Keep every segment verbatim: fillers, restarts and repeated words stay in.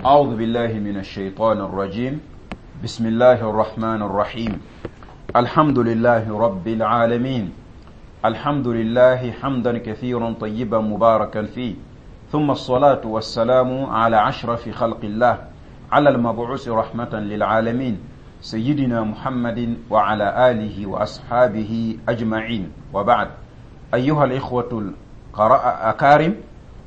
أعوذ بالله من الشيطان الرجيم. بسم الله الرحمن الرحيم. الحمد لله رب العالمين. الحمد لله حمدا كثيرا طيبا مباركا فيه. ثم الصلاة والسلام على أشرف خلق الله، على المبعوث رحمة للعالمين، سيدنا محمد وعلى آله وأصحابه أجمعين. وبعد، أيها الإخوة الأكارم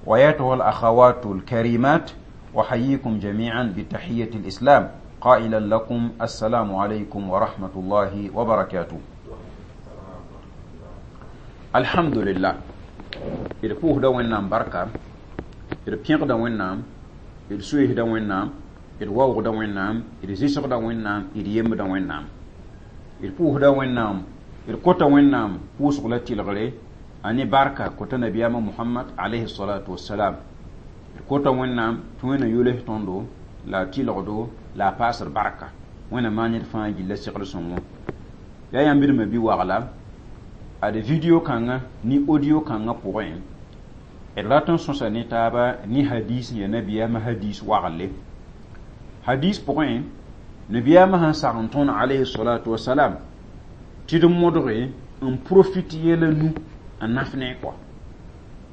وأيتها الأخوات الكريمات، أحييكم جميعا بتحية الإسلام، قائلا لكم السلام عليكم ورحمة الله وبركاته. الحمد لله. D pʋʋsda Wẽnnaam barka, d pẽgda Wẽnnaam, d sueesda Wẽnnaam, d waoogda Wẽnnaam, d zɩsgda Wẽnnaam, d yembda Wẽnnaam. D pʋʋsda Wẽnnaam, d kota Wẽnnaam pʋʋsg la tɩlgre a ne barka kota nabiyaamã Mohamad alayhi salatu wasalam. D kota Wẽnnaam tɩ Wẽnnaam yols tõndo la a tɩlgdo la a paasd barka. Wẽnnaam maan ned fãa gilla segl sõngo. Yaa yãmb d bi wagla ad video kãngã ne audio kãngã pʋgẽ, d rat n sõsa ne taaba ne hadis ya nabiyaamã hadis wagle. Hadis pʋgẽ, nabiyaamã sẽn sag n tõnd alayhi salatu wasalam tɩ d modge n profit yɛla nu n naf ne kɔa.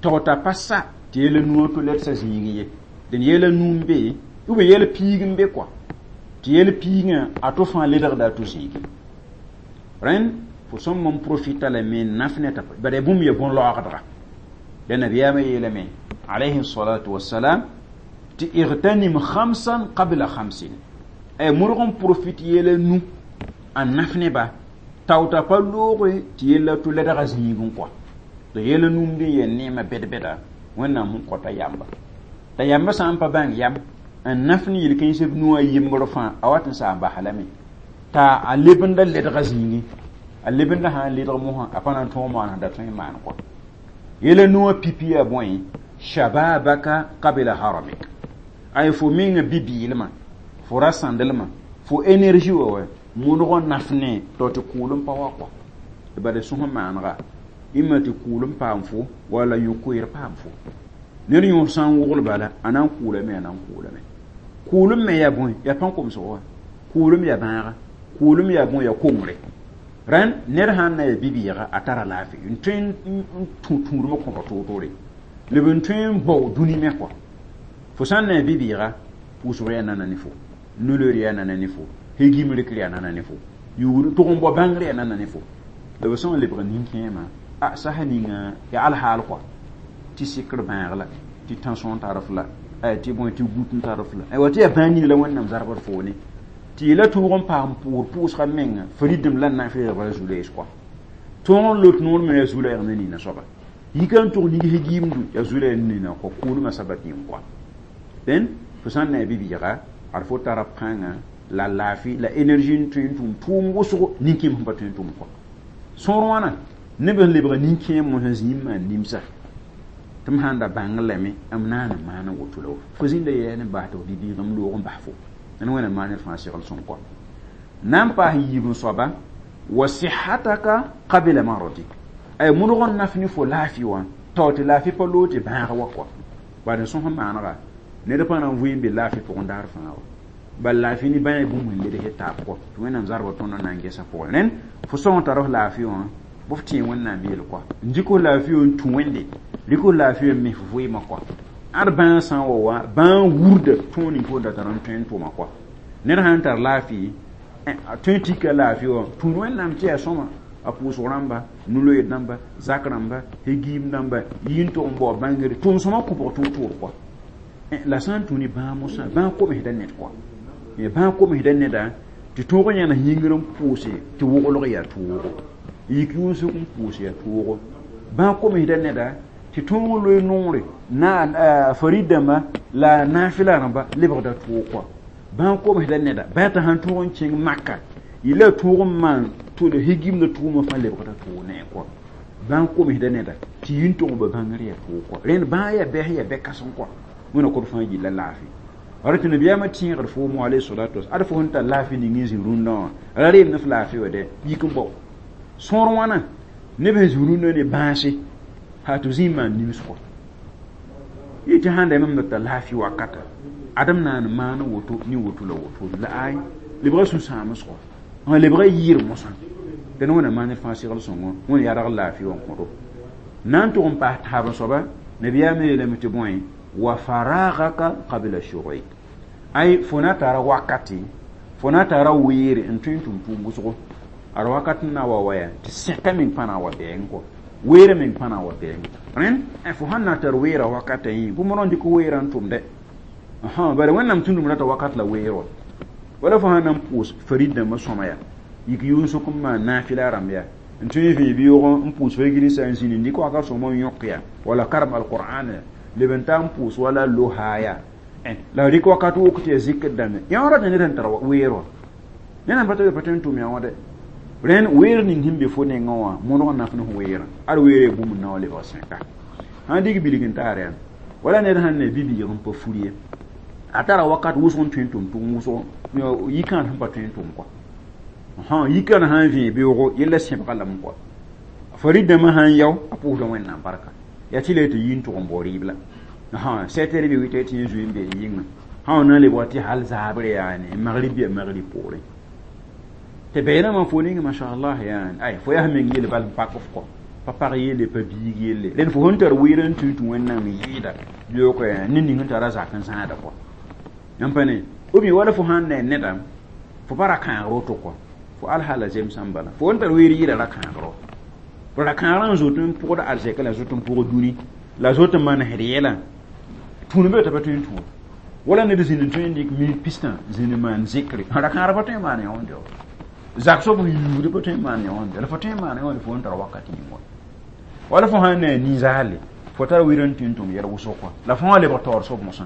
Tao t'a pa sa tɩ yɛla nuwã to led sa zĩig ye. Dẽn yɛla nu n be ou bien yɛl piig n be kɔa, tɩ yɛl piigã a to fãa ledgda a to zĩigi. Rẽnd fo sõm n profita lame n naf ne t'a bara bũmb ya bõn-laoogdga. La nabiyaamã yeelame alayhi salatu wasalam tɩ اغتنم خمسا قبل خمس. Ay modg n profit yɛla nu n naf neba tao t'a pa looge tɩ yella to ledga zĩig n kɔa. Tɩ yɛla nu n be yaa neemã bɛd-bɛda Wẽnnaam sẽn kõta yamba. T'a yamba sã n pa bãng yam n naf ne yel-kãens b nuwã yembr fãa, a wat n saam basa lame t'a a lebenda ledga zĩigi, a lebenda sã n ledg mosã a pa na n tõog maan da tõe n maan kɔa. Yɛla nuwã pipi yaa bõe? شبابك قبل هرمك. Ay fo menga bi-bɩɩlmã, fo ra sãndelmã, fo énergie wa wa modg n naf ne tɩ tɩ kʋʋl n pa wa kɔa. Tɩ bala sõs maanega ĩmma tɩ kʋʋl n paam fo wala yõ-koeer paam fo. Ned yõor sã n wogl bala, a na n kʋʋlame, a na n kʋʋlame. Kʋʋlem me yaa bõe? Yaa pãn-komsg wa. Kʋʋlem yaa bãaga, kʋʋlem yaa bõe? Yaa kongre. Rẽnd ned sãn na yaa bi-bɩɩga, a tara laafɩ n tõe n tũ tũudmã kõba toor-toore, leb n tõe n bao dũni me kɔa. Fo sã n na yaa bi-bɩɩga, pʋʋsg yaa nana ne fo, nuloor yaa nana ne fo, hegim rɩkr yaa nana ne fo, yugr tʋg n bao bãngr yaa nana ne fo. La b sã n lebg nin-kẽemã, a sasa ninga yaa alhaal kɔa, tɩ sɩkr bãag la, tɩ tãnsõ tar f la, tɩ bõe, tɩ gut n tar f la, wa tɩ yaa bãag ning la Wẽnnaam zarbd foone tɩ yela tʋʋg n paam pʋʋr pʋʋsga menga faridem la n na n feegbra zu-loees kɔa. Tõog n lot noor me yaa zu-loɛɛg ne nina soaba, yika n tʋg nig giimdu yaa zu-loɛɛg ne nina kɔa, kʋʋlmã sabat yĩng kɔa. Dẽn fo sã n na yaa bi-bɩɩga, ad fo tara pãnga la laafɩ la énergie n tõe n tʋm tʋʋm wʋsgo nin-kẽem sẽn pa tõe n tʋm kɔa. Sõor wãna neb sẽn lebga nin-kẽem mosã zĩig n maan nimsa tɩ m sãn da bãng lame m naan n maan woto la fo zĩnda yɛɛ ne bas tɩ f bi-bɩɩg m loog n bas fo. N Wẽnnaam maan ned fãa segl sõm kɔa. Na n paas yiib n soaba وصحتك قبل مرضك. Ay modg n naf ne fo laafɩ wã tao tɩ laafɩ pa loog tɩ bãag wa kɔa. Bad n sõs n maanega ned pa na n vɩ n be laafɩ pʋgẽ daar fãa wa, bal laafɩ ne bãa bũmb sẽn ledg taab kɔ, tɩ Wẽnnaam zarbã tõnd na n gesa pʋgẽ. Rẽnd fo sõng tar f laafɩ wã bɩ f tẽe Wẽnnaam yel kɔa, n dɩk f laafɩ wã n tũ Wẽnde, rɩk f laafɩ wã n mis f vɩɩmã kɔa. Ad bãag sã n wa wa bãag wurda tõog ning fo da tar n tõe n tʋma kɔa. Ned sã n tar laafɩ tõe n tika laafɩ wã tũud Wẽnnaam tɩ yaa sõma, a pʋʋsg rãmba, nu-loeed dãmba, zak rãmba, hegiim dãmba, yɩ n tʋg n bao bãngre tʋʋm sõma kʋbg tʋʋg-tʋʋr kɔa. La sã n tũ ne bãag mosã, bãag komsda ned kɔa, bãag komsda neda tɩ tõog n yãnes yĩngr n pʋʋse tɩ woglg yaa toogo, yik yʋʋn-sʋk n pʋʋs yaa toogo. Bãag komsda neda tɩ tõog loe noore na farid dãmba la naafɩla rãmba lebgda toog kɔa. Bãag komsda neda bãa t'a sãn tõog n kẽng Maka yella tõog n maan tʋl higimda tʋʋmã fãa lebgda toog ne kɔa. Bãag komsda neda tɩ yĩn tʋg n ba bãngr yaa toog kɔa. Rẽnd bãag yaa bɛs yaa bɛ-kãseng kɔa. Wẽnna kõt fãa yilla laafɩ. Ara tɩ nabiyaamã tẽegd foomo alayhi salatu wasalam, ad fo sẽn tar laafɩ ning n zĩ rũndã wã ra reem ne f laafɩ wa dɛ yik n bao. Sõor wãna neb sẽn zĩ rũndã ne bãase haa tɩ b zĩ n maan nims kɔa. Yɩ tɩ sãn da mam data laafɩ wakata adam naan maan woto ni woto la woto la ay lebga sũ-sãamsgo n lebga yɩɩr mosã tɩ wẽna maan fãa segl sõngo wẽn yadg laafɩ wã kõdo na n tʋg n paas taab soaba nabiyaamã yeelame tɩ bõe wa faragaka qabla shughlik ay fo na tara wakati fo na tara weere n tõe n tʋm tʋʋm wʋsgo ad wakat n na wa waya tɩ sẽka meng pãna wa bɛɛng kɔ weere meng pãna wa bɛɛng rẽnd fo sãn na tar weera wakata yẽ bũmb rõ dɩk weerã n tʋmdɛ bara wẽnnaam tũndum rata wakat la weer wa wala fo sãn na n pʋʋs farid dãmbã sõma ya yik yʋʋn-sʋk n maan naafɩla rãmb ya n tõe n vẽe beoogẽ n pʋʋs fa-gilsa n zĩni n dɩk wakat sõma n yõk ya wala karem alqur'an ya leb n ta n pʋʋs wala loha ya la rɩk wakat wok tɩ ya zikr dãmbe yã rata ned sẽn tar weer wã ned pa pa tõe n tʋm yã wã dɛ rẽnd weer ning sẽn be fo nengã wã mõdg n naf ne f weerã ad weere bũmb n na wa lebg sẽka sãn dig bilg n taar yaa wala ned sãn ne bi-biig n pa fur ye a tara wakat wʋsg n tõe n tʋm tʋʋm wʋsgo yikãad sẽn pa tõe n tʋm kɔa yikãad sãn vẽe beoogo yella sẽbga lame kɔa farid dãmbã sãn yao a pʋʋsda wẽnnaam barka yaa tɩ la tɩ yi n tʋg n bao rɩɩb la sept heures bɩ huit heures tɩ yẽ zoe n be yɩngã sã na n lebg tɩ hal zaabre yaane magrib yaa magrib poorẽ tɩ bɛɛnãmã fo ning mashallah yaane ay fo yaa meng yel bal n pak f kɔ pa pag yelle pa biig yelle rẽnd fo sẽn tar weer n tũ tɩ wẽnnaam yɩɩda beoog ned ning sẽn tara zak n zãada kɔ yãmb pa ne ou bien wala fo sãn ne neda fo pa ra-kãagr woto kɔ fo alhala zemsã n bala fo n tar weer yɩɩda ra-kãagr wa ra-kãagrã n zoet n pʋgd arzɛka la zoet n pʋgd dũni la zoet n manesd yɛla tũud be t'a pa tõe n tũud wala ned zĩnd n tõe n dɩk minit pistã zĩnd n maan zikre ra-kãagr pa tõe n maan yõonde wa zak soab sẽn yuugd pa tõe n maan yõonde la fo tõe n maan yõonde fo n tar wakat yĩng wa wala fo sãn ne a nin-zaale fo tara weer n tõe n tʋm yɛl wʋsg kɔ la fo wã lebg taoor soab mosã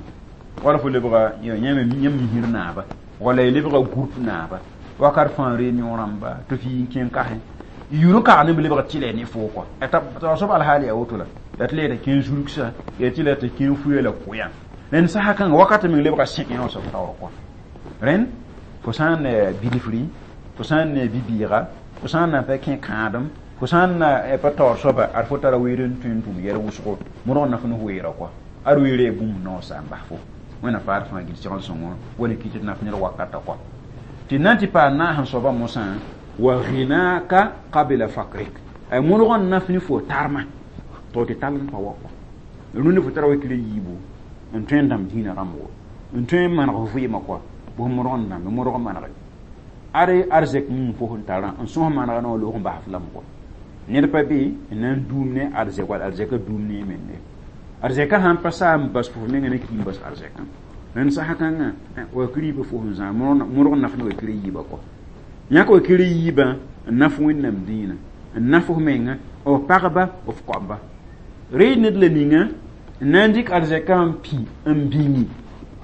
wala fo lebga yãmb misir naaba wala y lebga groupe naaba wakat fãa réunion rãmba tɩ f yi n kẽng kasẽ yʋr n kag ne b lebg tɩlɛ ne foo kɔ taoor soab alhaal yaa woto la la tɩ la yetɩ kẽn zulgsa ya tɩ la tɩ kẽn fuya la kʋyã rẽnd sasa kãnga wakat meng lebga sẽk yã soab taoor kɔ rẽnd fo sã n ne bilfri fo sã n ne bi-bɩɩga fo sã n na pa kẽ kãadem fo sã n na pa taoor soaba ad fo tara weer n tõe n tʋm yɛl wʋsgo modg n naf ne weerã kɔ ad weere bũmb naoor sa n bas fo wẽnnaam faad fãa gil segl sõngo wala kɩ tɩ naf ned wakata kɔ tɩ na n tɩ paam naas n soaba mosã wa ghinaka qabla fakrik ay modg n naf ne fo tarma to tɩ tall n pa wa kɔ rũndã fo tara wakɩla yiibu n tõe n dãmb dĩinã rãmbgo n tõe n maneg vɩɩmã kɔ bʋs modg n dãmbe modg manege ad arzɛk ning fo sẽn tarã n sõs manega na wa loog n bas f lame kɔ ned pa be n na n duum ne arzɛk wala arzɛkã duum ne menne arzɛkã sãn pa saa n bas fo f menga ne ki n bas arzɛkã rẽnd sasa kãngã wakir yiibã fo sẽn zã modg n naf ne wakir yiibã kɔ yãk wakir yiibã n naf wẽnnaam dĩinã n naf f menga f pagba f koamba reed ned la ninga n na n dɩk arzɛkã n pĩ n bĩngi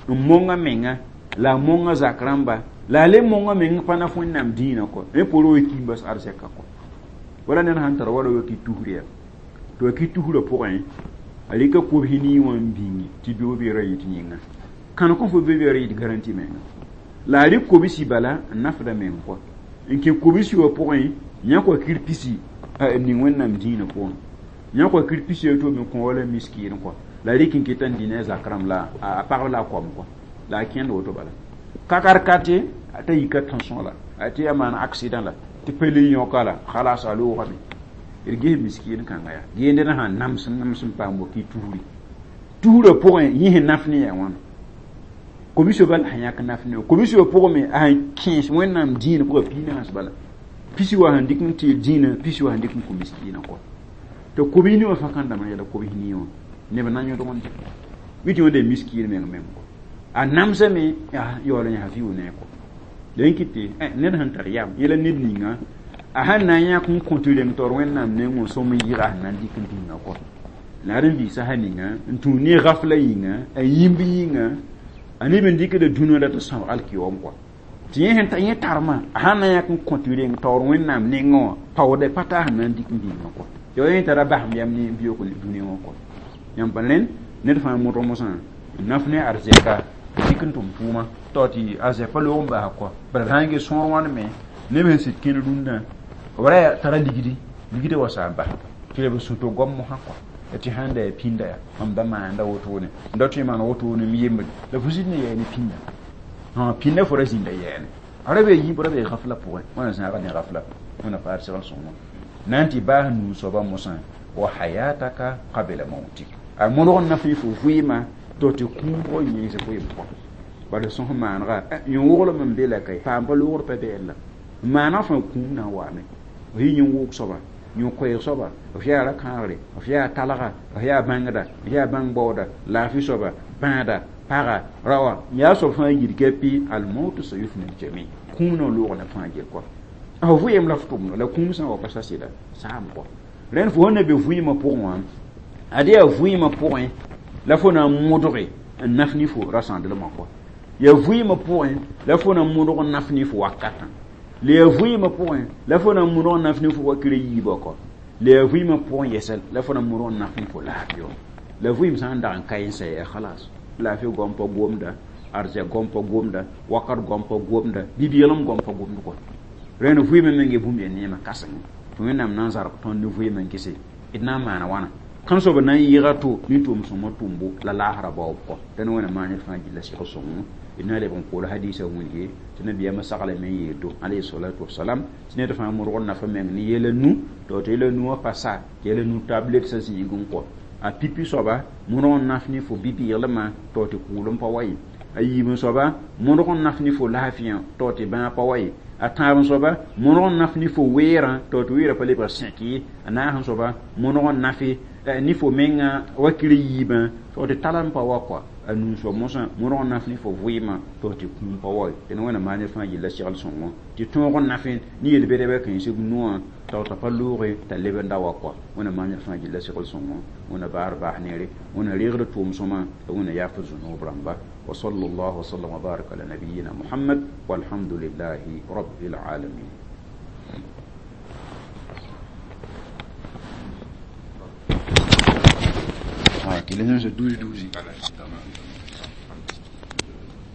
n monga menga la a monga zak rãmba la a le monga meng pa naf wẽnnaam dĩinã kɔ rẽ poorẽ wa ki n bas arzɛka kɔ wala ned sãn tar wala waki tusr ya tɩ waki tusrã pʋgẽ a rɩka kobs nii wã n bĩngi tɩ beoog beerã yɩ tɩ yĩnga kãn kõ fo be beerã yɩ tɩ garanti menga la a rɩk kobsi bala n nafda meng kɔ n kẽ kobsi wã pʋgẽ yãk wakir pisi n ning wẽnnaam dĩinã pʋgẽ yãk wakir pisi a to me kõ wala miskiin kɔ la rɩk n keta n dĩ ne a zak rãmb la a pagb la a koam kɔ la a kẽnd woto bala kakar kate t'a yika tension la a tɩ ya maan accident la tɩ pa le yõka la khalas a loogame d ges miskiin kãnga yaa gende na sãn nams n nams n paam waki tusri tusrã pʋgẽ yẽ sẽn naf ne yaa wãna kobiso bal sẽn yãk naf ne kobiso pʋgẽ me a sẽn kẽes wẽnnaam dĩinã pʋgã piinaas bala pisi wa sẽn dɩk n tɩ dĩinã pisi wa sẽn dɩk n kõ miskiinã kɔ tɩ kobis ni wã fãa kãn dãmb yɛla kobis nii wã neb na yõdg n dɩk bɩ tɩ wẽnda miskiin meng meng kɔ a namsame yaool n yaa vɩʋ ne kɔ la n kɩt tɩ ned sẽn tar yam yẽla ned ninga a sãn na n yãk n kõ tɩ reng taoor wẽnnaam neng n sõm n yɩga sẽn na n dɩk n bĩnga kɔ la ad n vɩɩsa sã ninga n tũ ne gafla yĩnga a yĩmb yĩnga a neb n dɩkda dũnã la tɩ sãoog alkiyoom kɔ tɩ yẽ sẽn yẽ tarmã a sãn na yãk n kõ tɩ reng taoor wẽnnaam nengẽ wã paoodɛ pa taa sẽn na n dɩk n bĩnga kɔ tɩ yẽ tara basem yam ne biyook dũni wã kɔ yãmb pa rẽnd ned fãa modg mosã n naf ne arzɛka dɩk n tʋm tʋʋma tao tɩ arzɛk pa loog n basa kɔ bara sã n ges sõor wãn me neb sẽn sɩd kẽnd rũndã b ra tara ligdi ligdã wa sa n bas tɩ b sũ-to goam mosã kɔ tɩ sãn da yaa pĩnda yaa mam da maanda wotone n da tõe n maan wotone m yembd la fo zĩnd n yɛɛ ne pĩnda pĩnda fo ra zĩnda yɛɛne a ra bee yĩmb ra bee gafla pʋgẽ wẽna zãaga ne gafla wẽna paad segl sõngã na n tɩ baas nuu soaba mosã wa hayataka qabla mautik a modg n na fɩ fo vɩɩmã to tɩ kũubg yẽes vɩɩm pʋgẽ bala sõs maanega yẽ-woglem n be la ka paam pa loogr pa bɛɛl la maaneg fãa kũum na n waame f yɩ yẽ-woog soaba yẽ-koɛɛg soaba f yaa ra-kãagre f yaa talga f yaa bãngda f yaa bãng-baooda laafɩ soaba bãada paga raoã yaa soab fãa yir gapi almautu sayufni ljami kũum na n loog neb fãa gel kɔa f vɩɩm la f tʋmda la kũum sã n wa pa sa sɩda saam kɔa rẽnd fo sẽn na be vɩɩmã pʋgẽ wã ad yaa vɩɩmã pʋgẽ la fo na n modge n naf ne fo rasãndlmã kɔa yaa vɩɩmã pʋgẽ la fo na n modg n naf ne fo wakatã la yaa vɩɩmã pʋgẽ la fo na n modg n naf ne fo wakr yiibã kɔ la yaa vɩɩmã pʋgẽ yɛsɛ la fo na n modg n naf ne fo laafɩ wã la vɩɩm sã n dag n ka n sɛ yaa khalas laafɩ goam pa gomda arzɛk goam pa gomda wakat goam pa gomda bi-bɩglem goam pa gomd kɔ rẽnd vɩɩmã meng bũmb yaa neemã kãseng tɩ wẽnnaam na n zarg tõnd ne vɩɩmã n kese d na n maana wãna kãn soab na n yɩɩga to ne tʋʋm-sõmã tʋmbo la laasra baoob kɔ dẽn wẽna maan ned fãa gilla sɩg sõngo d na leb n kool hadisa wilge tɩ nabiyaamã saglame n yeeldo alayhi salatu wasalam tɩ ned fãa modg n nafa meng ne yɛla nu tɩ tɩ yɛla nu wã pa sa tɩ yɛla nu tablet sã zĩig n kɔ a pipi soaba modg n naf ne fo bi-bɩglmã tɩ tɩ kʋʋlem pa wa ye a yiib soaba modg n naf ne fo laafɩyã tɩ tɩ bãag pa wa ye a tãab soaba modg n naf ne fo weerã tɩ tɩ weerã pa lebg sẽk ye a naas soaba modg n nafe ne fo menga wakr yiibã tɩ tɩ talem pa wa kɔa a nuu soab mosã modg n naf ne fo vɩɩmã tɩ tɩ kũum pa wa ye dẽn wẽna maan ned fãa yella segl sõngo tɩ tõog n nafẽ ne yel-bɛdbã kãensg noã t'a t'a pa looge t'a leb n da wa kɔa wẽna maan ned fãa yella segl sõngo wẽna baar baas neere wẽna reegd tʋʋm-sõma la wẽna yaaf zũnoob rãmba وصلى الله وسلم وبارك على نبينا محمد والحمد لله رب العالمين. Ah, qu'il est douze douze.